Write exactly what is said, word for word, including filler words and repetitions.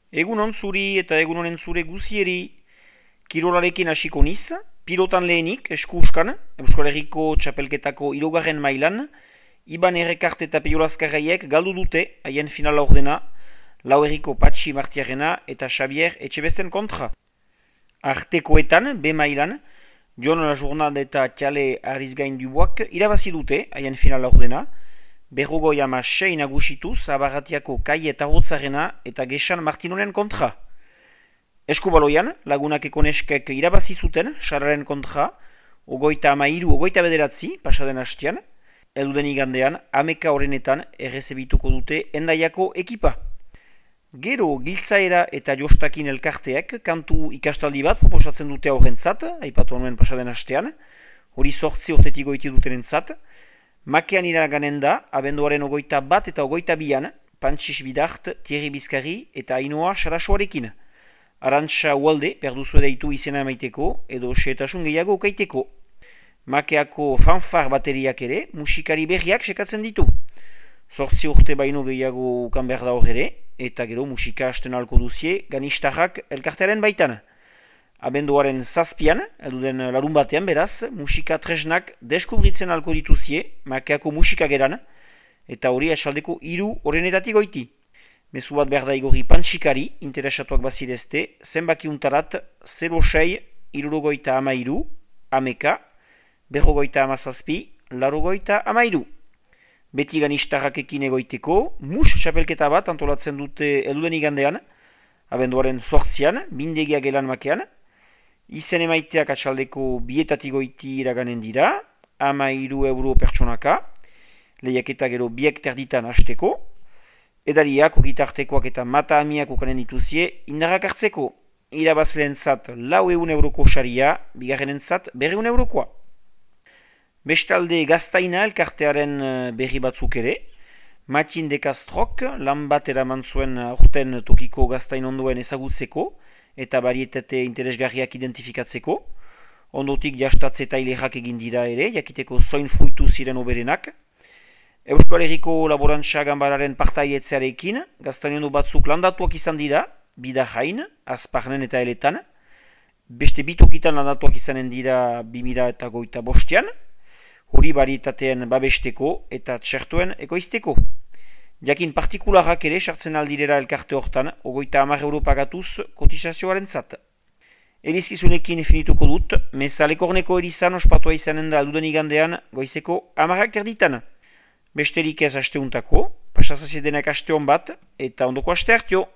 Egunon zuri eta egunonen zure guzieri kirolarekin hasiko niz, pilotan lehenik eskuskan, Euskal Herriko txapelketako hirugarren mailan, Iban Errekart eta Peio Lazkarraiek galdu dute haien finala ordena, Lau Herriko Patxi Martiarena eta Xavier Etxebesten kontra. Artekoetan, B mailan, Jon Lajurnal eta Tiale Arizgain Duboak irabazi dute haien finala ordena, Berrogoi ama sei nagusituz Abarratiako Kai eta Hotzarena eta Gesan Martinonen kontra. Eskubaloian, lagunak ekoneskek irabazi zuten Sararen kontra, ogoita ama iru, ogoita bederatzi, pasaden hastian, elduden igandean, ameka horrenetan errezebituko dute Endaiako ekipa. Gero, Giltzaera eta Jostakin elkarteek kantu ikastaldi bat proposatzen dute horrentzat, aipatu nuen pasaden hastean, hori sortzi urtetik goiti dutenentzat, Makean iraganen da, abenduaren ogoita bat eta ogoita bian, Pantxis Bidart, Thierry Bizkarri eta Ainoa Sarasoarekin. Arantxa Ualde, perduzu edaitu izena emaiteko, edo xeetasun gehiago ukaiteko. Makeako fanfar bateriak ere, musikari berriak sekatzen ditu. Zortzi urte baino gehiago ukan behar da hor ere, eta gero musika hasten alko duzie, ganistarrak elkartearen baitan. Abenduaren zazpian, eduden larun batean beraz, musika tresnak deskubritzen alko dituzie, Makeako musika geran, eta hori atxaldeko hiru horrenetatik goiti. Mezu bat behar da igorri Pantxikari, interesatuak bazirezte, zenbaki untarat zero sei, irurogoita ama iru, ameka, berrogoita ama zazpi, larogoita ama iru. Beti ganistarrak ekin egoiteko, mus txapelketa bat antolatzen dute eduden igandean, abenduaren zortzian, bindegia gelan Makean, izen emaiteak atxaldeko bietatik goiti iraganen dira, ama iru euro pertsonaka, lehiaketa gero biek terditan hasteko, edariak, ogitartekoak eta mata amiak ukanen dituzie, indarrak hartzeko, irabazleen zat lau eun euroko saria, bigarrenen zat berreun eurokoa. Bestalde Gaztaina elkartearen berri batzuk ere, Matin de Castrok lan bat eraman zuen aurten tokiko Gaztain ondoen ezagutzeko, eta barietate interesgarriak identifikatzeko. Ondotik jastatze eta ilerrak egin dira ere, jakiteko zoin fruitu ziren oberenak. Euskal Herriko Laborantza Ganbararen partaietzearekin, Gaztainondo batzuk landatuak izan dira, Bidajain, Azparnen eta Eletan. Beste bitokitan landatuak izanen dira bi mila eta goita bostean, hori barietateen babesteko eta txertuen ekoizteko. Jakin partikularrak ere sartzen aldirera elkarte hortan, ogoita hamar euro pagatuz kotizazioaren zat. Erizkizunekin finituko dut, mezalekorneko erizan ospatua izanen da alduden igandean goizeko hamarrak terditan. Besterik ez asteuntako, pasazaziedenak aste hon bat, eta ondoko aste hartio.